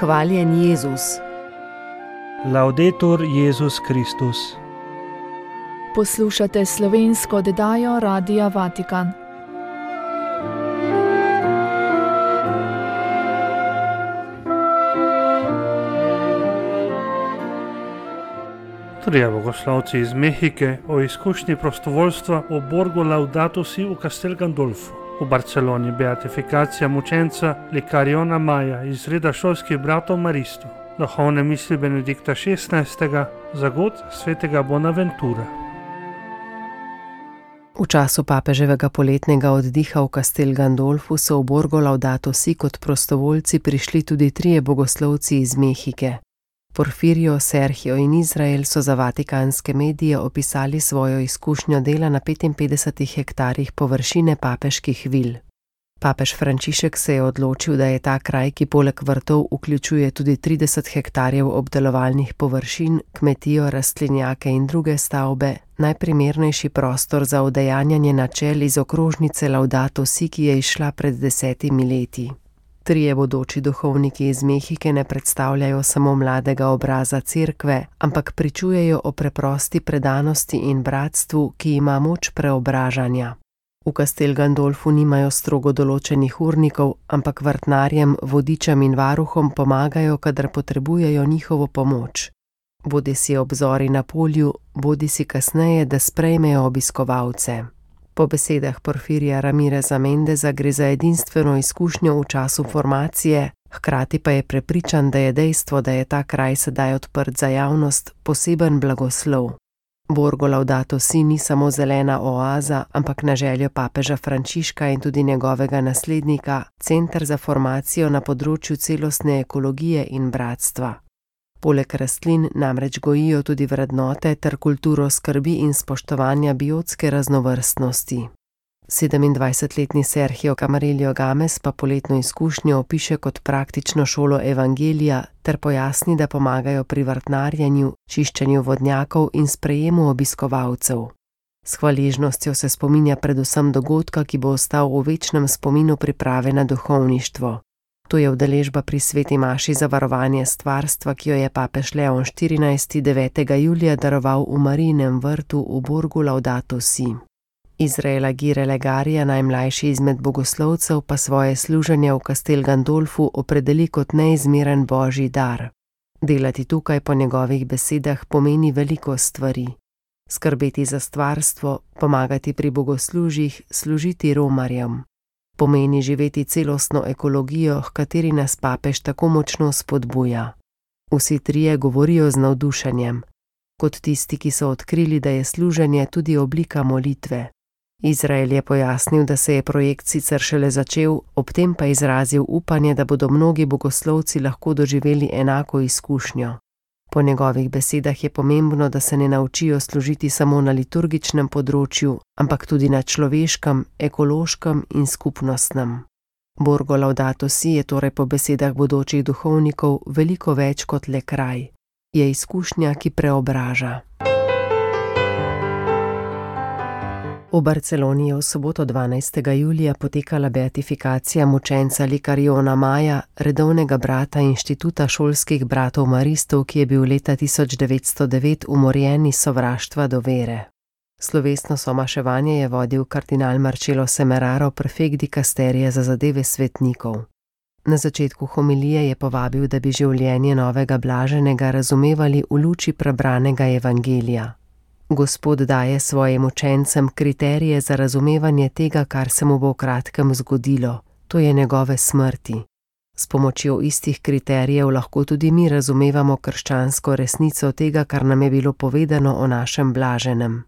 Hvaljen Jezus. Laudetur Jezus Kristus. Poslušate slovensko oddajo Radia Vatikan. Trije bogoslovci iz Mehike o izkušnji prostovoljstva v Borgu Laudato Si v Castel Gandolfu. V Barceloni beatifikacija mučenca Licariona Maja iz reda šolskih bratov maristov. Duhovne misli Benedikta XVI. Zagod svetega Bonaventura. V času papeževega poletnega oddiha v Castel Gandolfu so v Borgo Laudato Si kot prostovoljci prišli tudi trije bogoslovci iz Mehike. Porfirio, Sergio in Izrael so za vatikanske medije opisali svojo izkušnjo dela na 55 hektarjih površine papeških vil. Papež Frančišek se je odločil, da je ta kraj, ki poleg vrtov vključuje tudi 30 hektarjev obdelovalnih površin, kmetijo, rastlinjake in druge stavbe, najprimernejši prostor za udejanjanje načel iz okrožnice Laudato Si, ki je izšla pred 10 leti. Trije bodoči duhovniki iz Mehike ne predstavljajo samo mladega obraza cerkve, ampak pričujejo o preprosti predanosti in bratstvu, ki ima moč preobražanja. V Castel Gandolfu nimajo strogo določenih urnikov, ampak vrtnarjem, vodičem in varuhom pomagajo, kadar potrebujejo njihovo pomoč. Bodisi obzori na polju, bodisi kasneje, da sprejmejo obiskovalce. Po besedah Porfirija Ramireza Mendeza gre za edinstveno izkušnjo v času formacije, hkrati pa je prepričan, da je dejstvo, da je ta kraj sedaj odprt za javnost, poseben blagoslov. Borgo Laudato Si ni samo zelena oaza, ampak na željo papeža Frančiška in tudi njegovega naslednika, center za formacijo na področju celostne ekologije in bratstva. Poleg rastlin namreč gojijo tudi vrednote ter kulturo skrbi in spoštovanja biotske raznovrstnosti. 27-letni Sergio Camarillo Games pa poletno izkušnjo opiše kot praktično šolo evangelija ter pojasni, da pomagajo pri vrtnarjenju, čiščenju vodnjakov in sprejemu obiskovalcev. S hvaležnostjo se spominja predvsem dogodka, ki bo ostal v večnem spominu priprave na duhovništvo. To je udeležba pri sveti maši za varovanje stvarstva, ki jo je papež Leon XIV. 9. julija daroval v Marijinem vrtu v Borgu Laudato Si. Izrael Agire Legarija, najmlajši izmed bogoslovcev, pa svoje služenje v Castel Gandolfu opredeli kot neizmeren božji dar. Delati tukaj po njegovih besedah pomeni veliko stvari. Skrbeti za stvarstvo, pomagati pri bogoslužjih, služiti romarjem. Pomeni živeti celostno ekologijo, h kateri nas papež tako močno spodbuja. Vsi trije govorijo z navdušenjem, kot tisti, ki so odkrili, da je služenje tudi oblika molitve. Izrael je pojasnil, da se je projekt sicer šele začel, ob tem pa izrazil upanje, da bodo mnogi bogoslovci lahko doživeli enako izkušnjo. Po njegovih besedah je pomembno, da se ne naučijo služiti samo na liturgičnem področju, ampak tudi na človeškem, ekološkem in skupnostnem. Borgo Laudato Si je torej po besedah bodočih duhovnikov veliko več kot le kraj. Je izkušnja, ki preobraža. V Barceloni je v soboto 12. julija potekala beatifikacija mučenca Licariona Maja, redovnega brata Inštituta šolskih bratov maristov, ki je bil leta 1909 umorjen iz sovraštva do vere. Slovesno somaševanje je vodil kardinal Marcello Semeraro, prefekt dikasterije za zadeve svetnikov. Na začetku homilije je povabil, da bi življenje novega blaženega razumevali v luči prebranega evangelija. Gospod daje svojim učencem kriterije za razumevanje tega, kar se mu bo v kratkem zgodilo, to je njegove smrti. S pomočjo istih kriterijev lahko tudi mi razumevamo krščansko resnico tega, kar nam je bilo povedano o našem blaženem.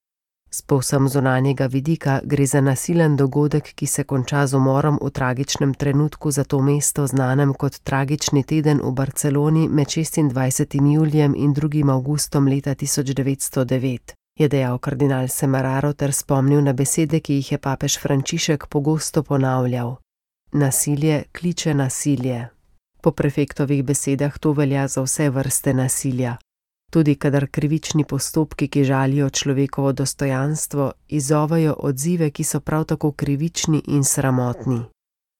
S povsem zunanjega vidika gre za nasilen dogodek, ki se konča z umorom v tragičnem trenutku za to mesto znanem kot tragični teden v Barceloni med 26. julijem in 2. avgustom leta 1909. Je dejal kardinal Semeraro ter spomnil na besede, ki jih je papež Frančišek pogosto ponavljal. Nasilje kliče nasilje. Po prefektovih besedah to velja za vse vrste nasilja. Tudi kadar krivični postopki, ki žalijo človekovo dostojanstvo, izzovejo odzive, ki so prav tako krivični in sramotni.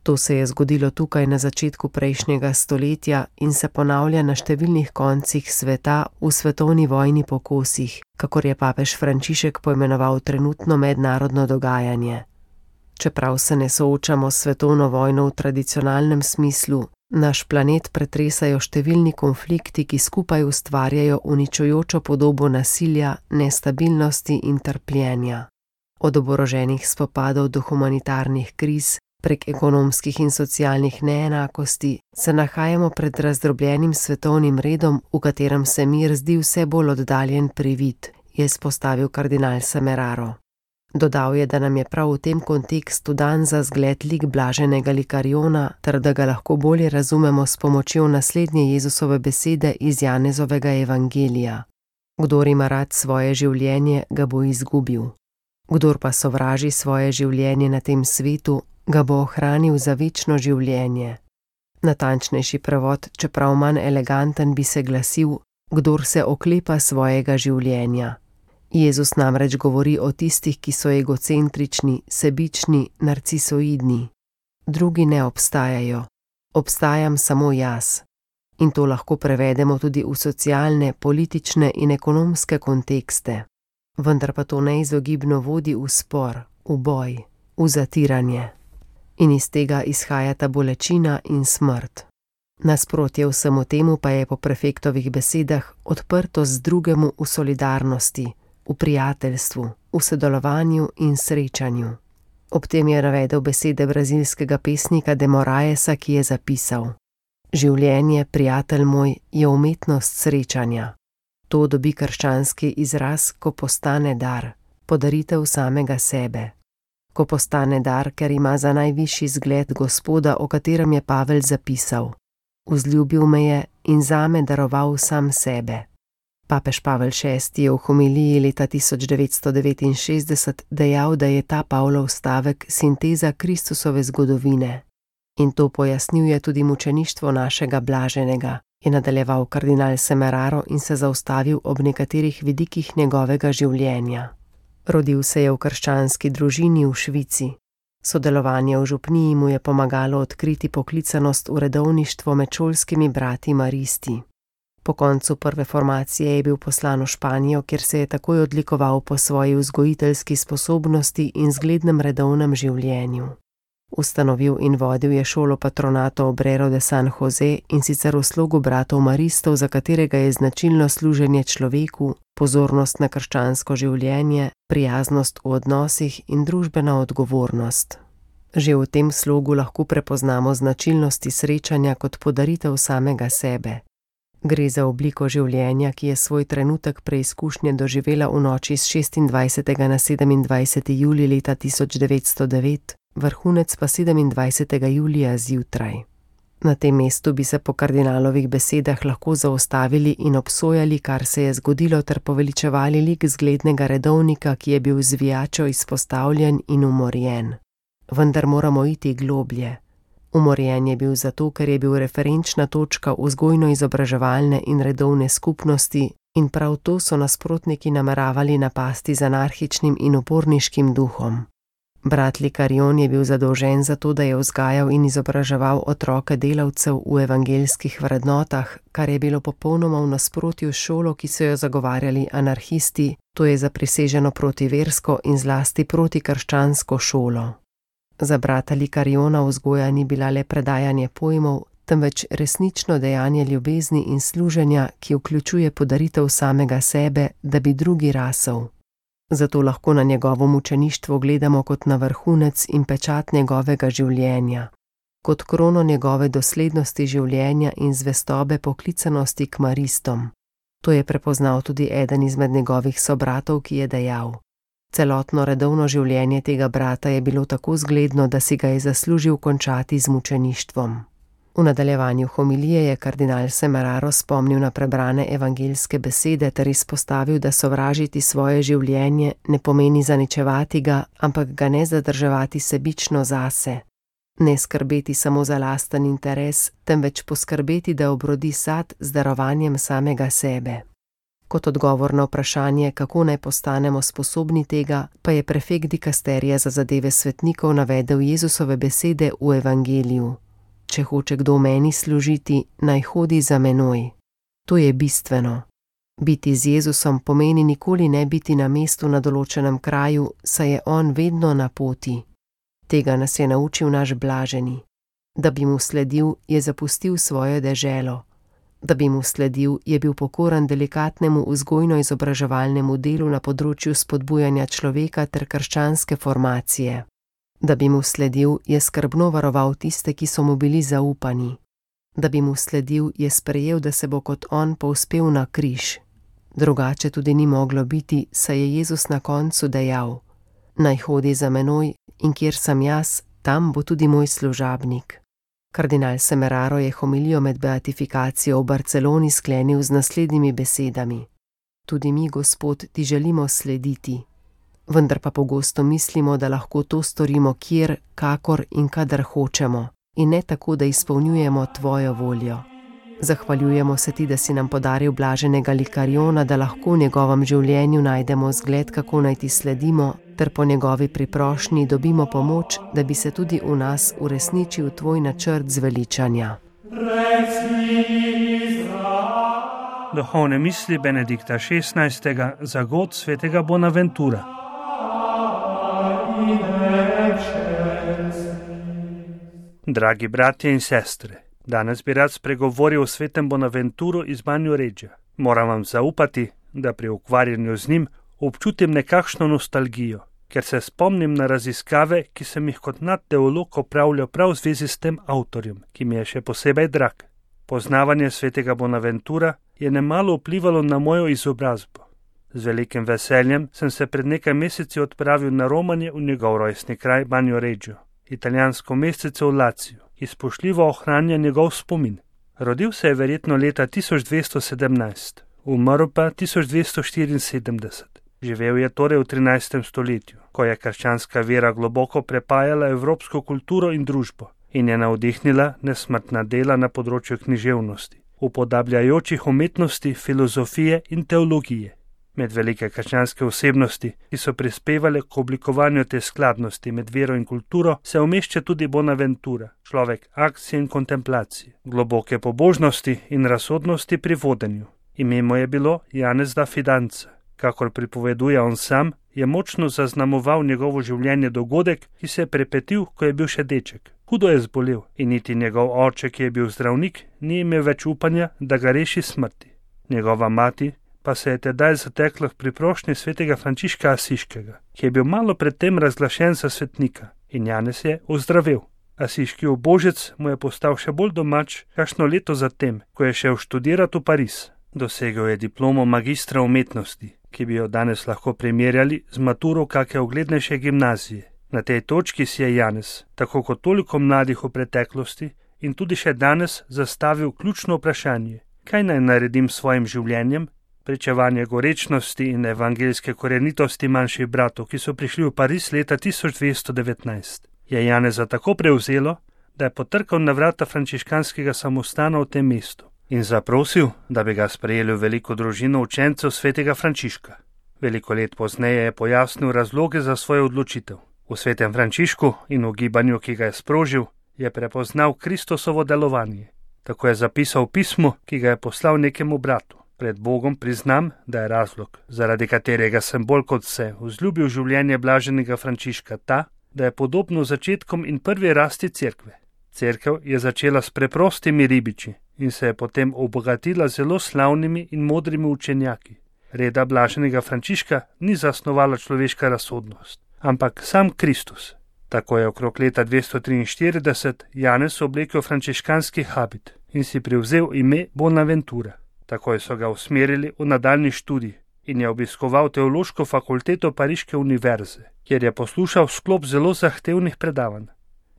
To se je zgodilo tukaj na začetku prejšnjega stoletja in se ponavlja na številnih koncih sveta v svetovni vojni po kosih, kakor je papež Frančišek poimenoval trenutno mednarodno dogajanje. Čeprav se ne soočamo s svetovno vojno v tradicionalnem smislu, naš planet pretresajo številni konflikti, ki skupaj ustvarjajo uničujočo podobo nasilja, nestabilnosti in trpljenja. Od oboroženih spopadov do humanitarnih kriz, prek ekonomskih in socialnih neenakosti, se nahajamo pred razdrobljenim svetovnim redom, v katerem se mir zdi vse bolj oddaljen privid, je izpostavil kardinal Semeraro. Dodal je, da nam je prav v tem kontekstu dan za zgled lik blaženega Likariona, ter da ga lahko bolje razumemo s pomočjo naslednje Jezusove besede iz Janezovega evangelija. Kdor ima rad svoje življenje, ga bo izgubil. Kdor pa sovraži svoje življenje na tem svetu, ga bo ohranil za večno življenje. Natančnejši prevod, čeprav manj eleganten, bi se glasil: kdor se oklepa svojega življenja. Jezus namreč govori o tistih, ki so egocentrični, sebični, narcisoidni. Drugi ne obstajajo. Obstajam samo jaz. In to lahko prevedemo tudi v socialne, politične in ekonomske kontekste. Vendar pa to neizogibno vodi v spor, v boj, v zatiranje. In iz tega izhajata bolečina in smrt. Nasprotje vsemu temu pa je po prefektovih besedah odprtost drugemu v solidarnosti, v prijateljstvu, v sodelovanju in srečanju. Ob tem je navedel besede brazilskega pesnika De Moraesa, ki je zapisal: življenje, prijatelj moj, je umetnost srečanja. To dobi krščanski izraz, ko postane dar, podaritev samega sebe. Ko postane dar, ker ima za najvišji zgled Gospoda, o katerem je Pavel zapisal: vzljubil me je in zame daroval sam sebe. Papež Pavel VI je v homiliji leta 1969 dejal, da je ta Pavlov stavek sinteza Kristusove zgodovine. In to pojasnjuje tudi mučeništvo našega blaženega, je nadaljeval kardinal Semeraro in se zaustavil ob nekaterih vidikih njegovega življenja. Rodil se je v krščanski družini v Švici. Sodelovanje v župniji mu je pomagalo odkriti poklicanost v redovništvo med šolskimi brati maristi. Po koncu prve formacije je bil poslan v Španijo, kjer se je takoj odlikoval po svoji vzgojiteljski sposobnosti in zglednem redovnem življenju. Ustanovil in vodil je šolo patronato Obrero de San Jose, in sicer v slogu bratov maristov, za katerega je značilno služenje človeku, pozornost na krščansko življenje, prijaznost v odnosih in družbena odgovornost. Že v tem slogu lahko prepoznamo značilnosti srečanja kot podaritev samega sebe. Gre za obliko življenja, ki je svoj trenutek preizkušnje doživela v noči s 26. na 27. julij leta 1909, vrhunec pa 27. julija zjutraj. Na tem mestu bi se po kardinalovih besedah lahko zaustavili in obsojali, kar se je zgodilo, ter poveličevali lik zglednega redovnika, ki je bil zvijačo izpostavljen in umorjen. Vendar moramo iti globlje. Umorjen je bil zato, ker je bil referenčna točka vzgojno-izobraževalne in redovne skupnosti, in prav to so nasprotniki nameravali napasti z anarhičnim in uporniškim duhom. Brat Likarion je bil zadolžen za to, da je vzgajal in izobraževal otroke delavcev v evangeljskih vrednotah, kar je bilo popolnoma v nasprotju s šolo, ki so jo zagovarjali anarhisti, to je zapriseženo protiversko in zlasti protikrščansko šolo. Za brata Likariona vzgoja ni bila le predajanje pojmov, temveč resnično dejanje ljubezni in služenja, ki vključuje podaritev samega sebe, da bi drugi rasel. Zato lahko na njegovo mučeništvo gledamo kot na vrhunec in pečat njegovega življenja, kot krono njegove doslednosti življenja in zvestobe poklicanosti k maristom. To je prepoznal tudi eden izmed njegovih sobratov, ki je dejal: celotno redovno življenje tega brata je bilo tako zgledno, da si ga je zaslužil končati z mučeništvom. V nadaljevanju homilije je kardinal Semeraro spomnil na prebrane evangeljske besede ter izpostavil, da sovražiti svoje življenje ne pomeni zaničevati ga, ampak ga ne zadrževati sebično zase. Ne skrbeti samo za lasten interes, temveč poskrbeti, da obrodi sad z darovanjem samega sebe. Kot odgovor na vprašanje, kako naj postanemo sposobni tega, pa je prefekt dikasterija za zadeve svetnikov navedel Jezusove besede v evangeliju: Če hoče kdo meni služiti, naj hodi za menoj. To je bistveno. Biti z Jezusom pomeni nikoli ne biti na mestu na določenem kraju, saj je on vedno na poti. Tega nas je naučil naš blaženi. Da bi mu sledil, je zapustil svojo deželo. Da bi mu sledil, je bil pokoran delikatnemu vzgojno-izobraževalnemu delu na področju spodbujanja človeka ter krščanske formacije. Da bi mu sledil, je skrbno varoval tiste, ki so mu bili zaupani. Da bi mu sledil, je sprejel, da se bo kot on povzpel na križ. Drugače tudi ni moglo biti, saj je Jezus na koncu dejal: Naj hodi za menoj, in kjer sem jaz, tam bo tudi moj služabnik. Kardinal Semeraro je homilijo med beatifikacijo v Barceloni sklenil z naslednjimi besedami: Tudi mi, Gospod, ti želimo slediti. Vendar pa pogosto mislimo, da lahko to storimo kjer, kakor in kadar hočemo, in ne tako, da izpolnjujemo tvojo voljo. Zahvaljujemo se ti, da si nam podaril blaženega Likariona, da lahko v njegovem življenju najdemo zgled, kako naj ti sledimo, ter po njegovi priprošnji dobimo pomoč, da bi se tudi v nas uresničil tvoj načrt zveličanja. Duhovne misli Benedikta XVI. Za god svetega Bonaventura. Dragi bratje in sestre, danes bi rad spregovoril o svetem Bonaventuru iz Banjoreggia. Moram vam zaupati, da pri ukvarjanju z njim občutim nekakšno nostalgijo, ker se spomnim na raziskave, ki sem jih kot mlad teolog opravljal prav v zvezi s tem avtorjem, ki mi je še posebej drag. Poznavanje svetega Bonaventura je nemalo vplivalo na mojo izobrazbo. Z velikim veseljem sem se pred nekaj meseci odpravil na romanje v njegov rojstni kraj Banjoreggio, italijansko mestece v Laciju, ki spoštljivo ohranja njegov spomin. Rodil se je verjetno leta 1217, umrl pa 1274. Živel je torej v 13. stoletju, ko je krščanska vera globoko prepajala evropsko kulturo in družbo in je navdihnila nesmrtna dela na področju književnosti, upodabljajočih umetnosti, filozofije in teologije. Med velike krščanske osebnosti, ki so prispevale k oblikovanju te skladnosti med vero in kulturo, se umešča tudi Bonaventura, človek akcije in kontemplacije, globoke pobožnosti in razsodnosti pri vodenju. Ime mu je bilo Janez da Fidanza. Kakor pripoveduje on sam, je močno zaznamoval njegovo življenje dogodek, ki se je prepetil, ko je bil še deček. Hudo je zbolel in niti njegov oče, ki je bil zdravnik, ni imel več upanja, da ga reši smrti. Njegova mati pa se je tedaj zatekla pri prošnji svetega Frančiška Asiškega, ki je bil malo predtem razglašen za svetnika, in Janez je ozdravel. Asiški ubožec mu je postal še bolj domač kakšno leto zatem, ko je šel študirati v Pariz. Dosegel je diplomo magistra umetnosti, ki bi jo danes lahko primerjali z maturo kake uglednejše gimnazije. Na tej točki si je Janez, tako kot toliko mladih v preteklosti in tudi še danes, zastavil ključno vprašanje: kaj naj naredim s svojim življenjem? Pričevanje gorečnosti in evangeljske korenitosti manjših bratov, ki so prišli v Pariz leta 1219, je Janeza tako prevzelo, da je potrkal na vrata frančiškanskega samostana v tem mestu in zaprosil, da bi ga sprejeli v veliko družino učencev svetega Frančiška. Veliko let pozneje je pojasnil razloge za svojo odločitev. V svetem Frančišku in v gibanju, ki ga je sprožil, je prepoznal Kristusovo delovanje. Tako je zapisal v pismu, ki ga je poslal nekemu bratu. Pred Bogom priznam, da je razlog, zaradi katerega sem bolj kot vse vzljubil življenje blaženega Frančiška, ta, da je podobno začetkom in prvi rasti cerkve. Cerkev je začela s preprostimi ribiči in se je potem obogatila zelo slavnimi in modrimi učenjaki. Reda blaženega Frančiška ni zasnovala človeška razsodnost, ampak sam Kristus. Tako je okrog leta 243 Janez oblekel frančiškanski habit in si privzel ime Bonaventura. Takoj so ga usmerili v nadaljnji študij in je obiskoval teološko fakulteto Pariške univerze, kjer je poslušal sklop zelo zahtevnih predavanj.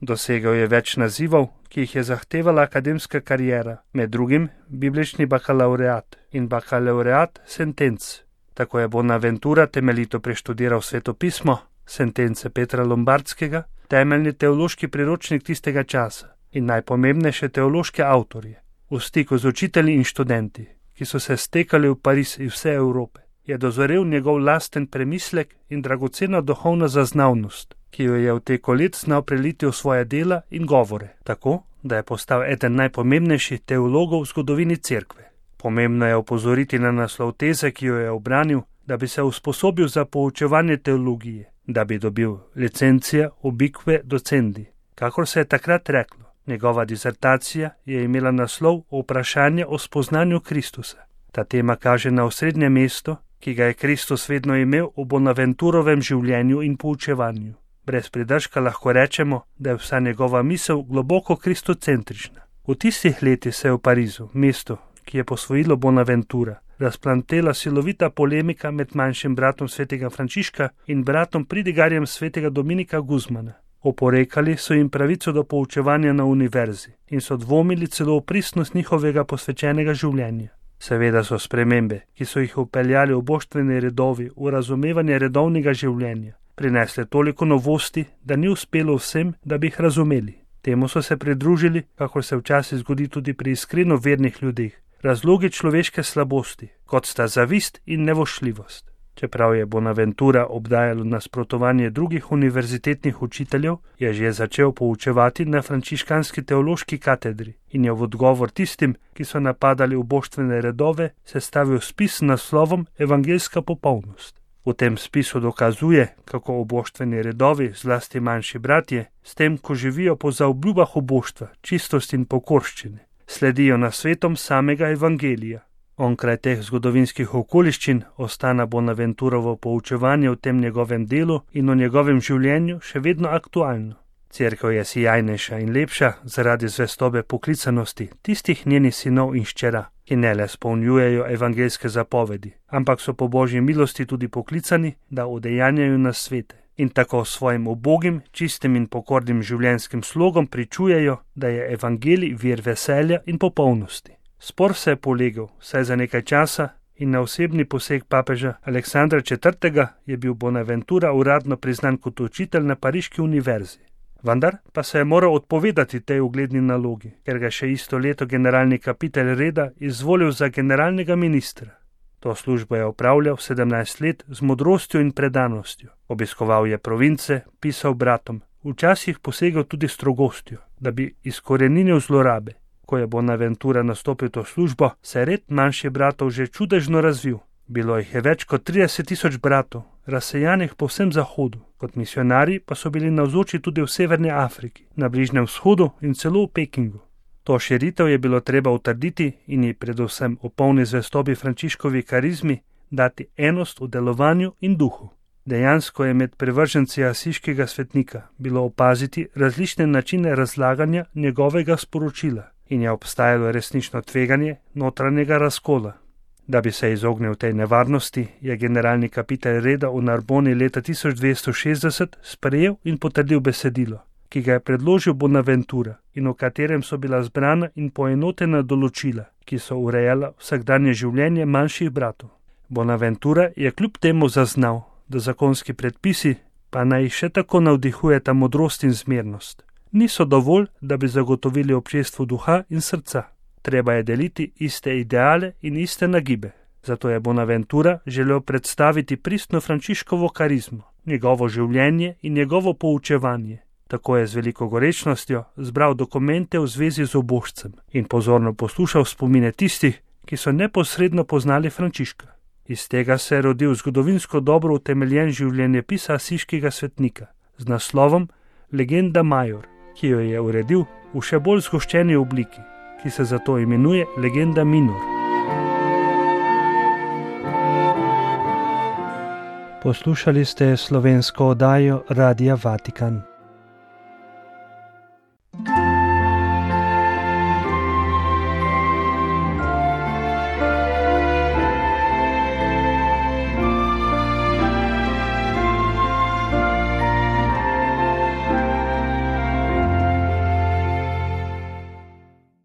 Dosegel je več nazivov, ki jih je zahtevala akademska kariera, med drugim biblični bakalaureat in bakalaureat sentenc. Tako je Bonaventura temeljito preštudiral svetopismo, sentence Petra Lombardskega, temeljni teološki priročnik tistega časa in najpomembnejše teološke avtorje. V stiku z učitelji in študenti, ki so se stekali v Pariz iz vse Evrope, je dozorel njegov lasten premislek in dragocena duhovna zaznavnost, ki jo je v teku let znal preliti v svoje dela in govore, tako, da je postal eden najpomembnejših teologov v zgodovini cerkve. Pomembno je opozoriti na naslov teze, ki jo je obranil, da bi se usposobil za poučevanje teologije, da bi dobil licencija ubique docendi, kakor se je takrat reklo. Njegova disertacija je imela naslov Vprašanje o spoznanju Kristusa. Ta tema kaže na osrednje mesto, ki ga je Kristus vedno imel v Bonaventurovem življenju in poučevanju. Brez pridržka lahko rečemo, da je vsa njegova misel globoko kristocentrična. V tistih letih se je v Parizu, mestu, ki je posvojilo Bonaventura, razplantela silovita polemika med manjšim bratom svetega Frančiška in bratom pridigarjem svetega Dominika Guzmana. Oporekali so jim pravico do poučevanja na univerzi in so dvomili celo v pristnost njihovega posvečenega življenja. Seveda so spremembe, ki so jih vpeljali v boštveni redovi v razumevanje redovnega življenja, prinesle toliko novosti, da ni uspelo vsem, da bi jih razumeli. Temu so se pridružili, kakor se včasih zgodi tudi pri iskreno vernih ljudeh, razlogi človeške slabosti, kot sta zavist in nevošljivost. Čeprav je Bonaventura obdajalo nasprotovanje drugih univerzitetnih učiteljev, je že začel poučevati na frančiškanski teološki katedri in je v odgovor tistim, ki so napadali uboštvene redove, sestavil spis s naslovom Evangeljska popolnost. V tem spisu dokazuje, kako uboštveni redovi, zlasti manjši bratje, s tem, ko živijo po zaobljubah uboštva, čistosti in pokorščine, sledijo nasvetom samega evangelija. Onkraj teh zgodovinskih okoliščin ostana Bonaventurovo poučevanje v tem njegovem delu in o njegovem življenju še vedno aktualno. Cerkev je sijajnejša in lepša zaradi zvestobe poklicanosti tistih njenih sinov in hčera, ki ne le spolnjujejo evangeljske zapovedi, ampak so po Božji milosti tudi poklicani, da udejanjajo nasvete in tako svojim ubogim, čistim in pokornim življenjskim slogom pričujejo, da je evangelij vir veselja in popolnosti. Spor se je polegel, saj za nekaj časa in na osebni poseg papeža Aleksandra IV. Je bil Bonaventura uradno priznan kot učitelj na pariški univerzi. Vendar pa se je moral odpovedati tej ugledni nalogi, ker ga še isto leto generalni kapitelj reda izvolil za generalnega ministra. To službo je opravljal 17 let z modrostjo in predanostjo. Obiskoval je province, pisal bratom, včasih posegel tudi strogostjo, da bi izkoreninil zlorabe. Ko je Bonaventura nastopil to službo, se je red manjših bratov že čudežno razvil. Bilo jih je več kot 30.000 bratov, razsejanih po vsem zahodu, kot misionarji pa so bili navzoči tudi v Severni Afriki, na Bližnjem vzhodu in celo v Pekingu. To širitev je bilo treba utrditi in ji predvsem v polni zvestobi Frančiškovi karizmi dati enost v delovanju in duhu. Dejansko je med privrženci asiškega svetnika bilo opaziti različne načine razlaganja njegovega sporočila in je obstajalo resnično tveganje notranjega razkola. Da bi se izognil tej nevarnosti, je generalni kapitelj reda v Narboni leta 1260 sprejel in potrdil besedilo, ki ga je predložil Bonaventura in v katerem so bila zbrana in poenotena določila, ki so urejala vsakdanje življenje manjših bratov. Bonaventura je kljub temu zaznal, da zakonski predpisi, pa naj jih še tako navdihujeta modrost in zmernost, niso dovolj, da bi zagotovili občestvu duha in srca. Treba je deliti iste ideale in iste nagibe. Zato je Bonaventura želel predstaviti pristno Frančiškovo karizmo, njegovo življenje in njegovo poučevanje. Tako je z veliko gorečnostjo zbral dokumente v zvezi z ubožcem in pozorno poslušal spomine tistih, ki so neposredno poznali Frančiška. Iz tega se je rodil zgodovinsko dobro utemeljen življenjepis asiškega svetnika z naslovom Legenda Major, ki jo je uredil v še bolj zgoščeni obliki, ki se zato imenuje Legenda Minor. Poslušali ste slovensko oddajo Radia Vatikan.